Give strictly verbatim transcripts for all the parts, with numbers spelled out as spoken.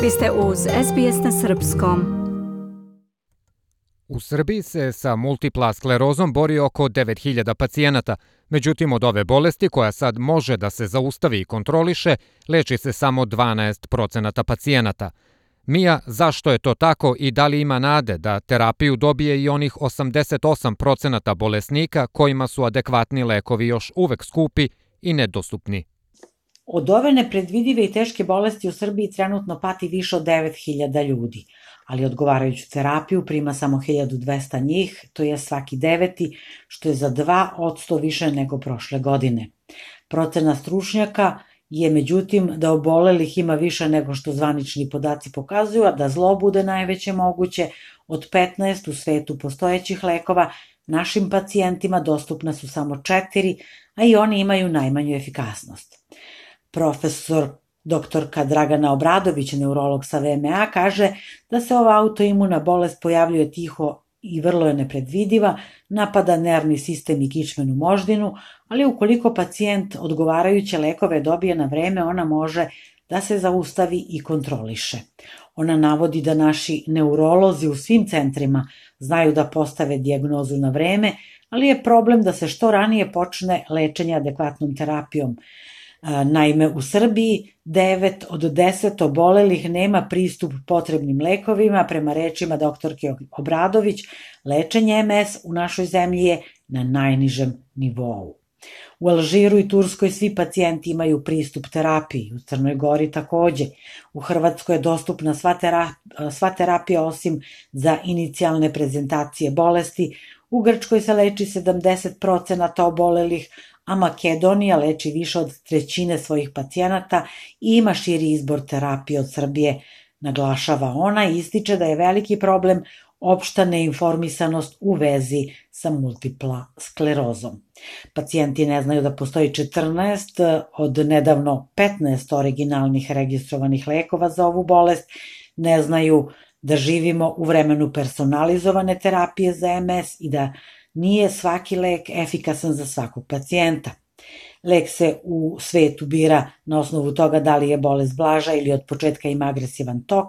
Vi ste uz S B S na srpskom. U Srbiji se sa multipla sklerozom bori oko devet hiljada pacijenata. Međutim, od ove bolesti, koja sad može da se zaustavi i kontroliše, leči se samo dvanaest procenata pacijenata. Mija, zašto je to tako i da li ima nade da terapiju dobije i onih osamdeset osam procenata bolesnika kojima su adekvatni lekovi još uvek skupi i nedostupni? Od ove nepredvidive i teške bolesti u Srbiji trenutno pati više od devet hiljada ljudi, ali odgovarajuću terapiju prima samo hiljadu dvesta njih, to je svaki deveti, što je za dva posto više nego prošle godine. Procena stručnjaka je međutim da obolelih ima više nego što zvanični podaci pokazuju, a da zlo bude najveće moguće. Od petnaest u svetu postojećih lekova našim pacijentima dostupna su samo četiri, a i oni imaju najmanju efikasnost. Profesor doktorka Dragana Obradović, neurolog sa V M A, kaže da se ova autoimuna bolest pojavljuje tiho i vrlo je nepredvidiva, napada nervni sistem i kičmenu moždinu, ali ukoliko pacijent odgovarajuće lekove dobije na vreme, ona može da se zaustavi i kontroliše. Ona navodi da naši neurolozi u svim centrima znaju da postave dijagnozu na vreme, ali je problem da se što ranije počne lečenje adekvatnom terapijom. Naime, u Srbiji devet od deset obolelih nema pristup potrebnim lekovima. Prema rečima doktorke Obradović, lečenje M S u našoj zemlji je na najnižem nivou. U Alžiru i Turskoj svi pacijenti imaju pristup terapiji, u Crnoj Gori takođe. U Hrvatskoj je dostupna sva terapija, sva terapija osim za inicijalne prezentacije bolesti. U Grčkoj se leči sedamdeset procenata obolelih, a Makedonija leči više od trećine svojih pacijenata i ima širi izbor terapije od Srbije, naglašava ona i ističe da je veliki problem opšta neinformisanost u vezi sa multipla sklerozom. Pacijenti ne znaju da postoji četrnaest od nedavno petnaest originalnih registrovanih lekova za ovu bolest, ne znaju da živimo u vremenu personalizovane terapije za M S i da nije svaki lek efikasan za svakog pacijenta. Lek se u svetu bira na osnovu toga da li je bolest blaža ili od početka ima agresivan tok.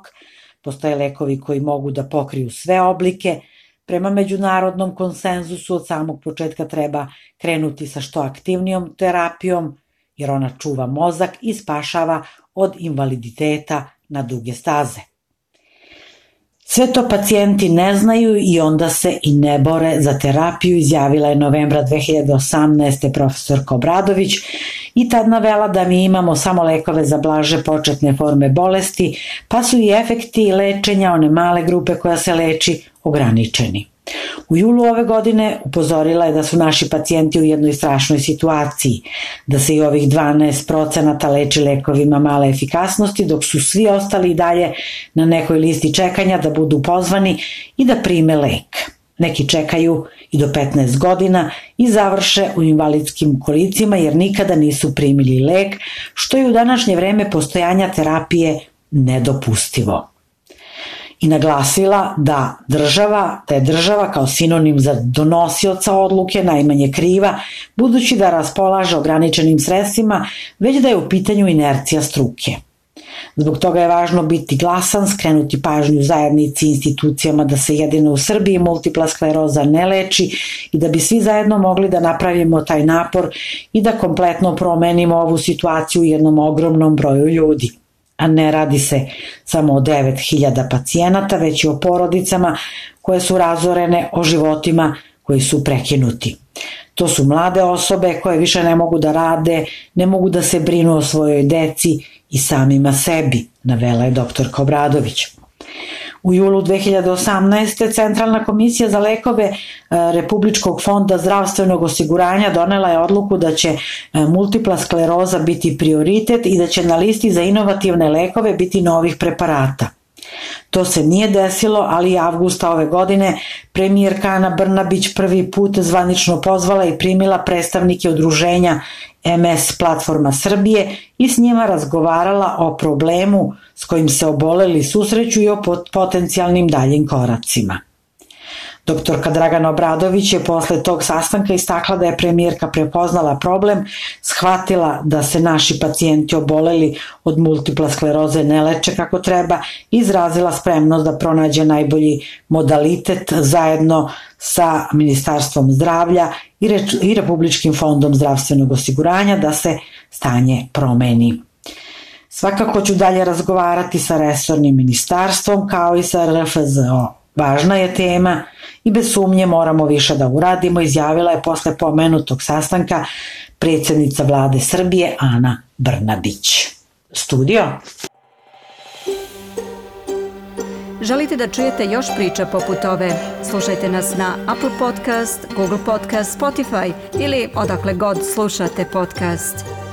Postoje lekovi koji mogu da pokriju sve oblike. Prema međunarodnom konsenzusu od samog početka treba krenuti sa što aktivnijom terapijom, jer ona čuva mozak i spašava od invaliditeta na duge staze. Sve to pacijenti ne znaju i onda se i ne bore za terapiju, izjavila je novembra dve hiljade osamnaeste profesorka Obradović i tad navela da mi imamo samo lekove za blaže početne forme bolesti, pa su i efekti lečenja one male grupe koja se leči ograničeni. U julu ove godine upozorila je da su naši pacijenti u jednoj strašnoj situaciji, da se i ovih dvanaest procenata leči lekovima male efikasnosti, dok su svi ostali i dalje na nekoj listi čekanja da budu pozvani i da prime lek. Neki čekaju i do petnaest godina i završe u invalidskim kolicima jer nikada nisu primili lek, što je u današnje vreme postojanja terapije nedopustivo. I naglasila da država, da je država kao sinonim za donosioca odluke najmanje kriva, budući da raspolaže ograničenim sredstvima, već da je u pitanju inercija struke. Zbog toga je važno biti glasan, skrenuti pažnju zajednici i institucijama da se jedino u Srbiji multipla skleroza ne leči i da bi svi zajedno mogli da napravimo taj napor i da kompletno promenimo ovu situaciju u jednom ogromnom broju ljudi. A ne radi se samo o devet hiljada pacijenata, već i o porodicama koje su razorene, o životima koji su prekinuti. To su mlade osobe koje više ne mogu da rade, ne mogu da se brinu o svojoj deci i samima sebi, navela je doktorka Obradović. U julu dve hiljade osamnaeste. Centralna komisija za lekove Republičkog fonda zdravstvenog osiguranja donela je odluku da će multipla skleroza biti prioritet i da će na listi za inovativne lekove biti novih preparata. To se nije desilo, ali avgusta ove godine premijerka Ana Brnabić prvi put zvanično pozvala i primila predstavnike udruženja M S Platforma Srbije i s njima razgovarala o problemu s kojim se oboleli susreću i o potencijalnim daljim koracima. Doktorka Dragana Obradović je posle tog sastanka istakla da je premijerka prepoznala problem, shvatila da se naši pacijenti oboleli od multipla skleroze ne leče kako treba i izrazila spremnost da pronađe najbolji modalitet zajedno sa Ministarstvom zdravlja i, Re- i Republičkim fondom zdravstvenog osiguranja da se stanje promeni. Svakako ću dalje razgovarati sa resornim ministarstvom kao i sa R F Z O. Važna je tema i bez sumnje moramo više da uradimo, izjavila je posle pomenutog sastanka predsjednica vlade Srbije Ana Brnabić. Studio. Želite da čujete još priča poput ove? Slušajte nas na Apple Podcast, Google Podcast, Spotify ili odakle god slušate podcast.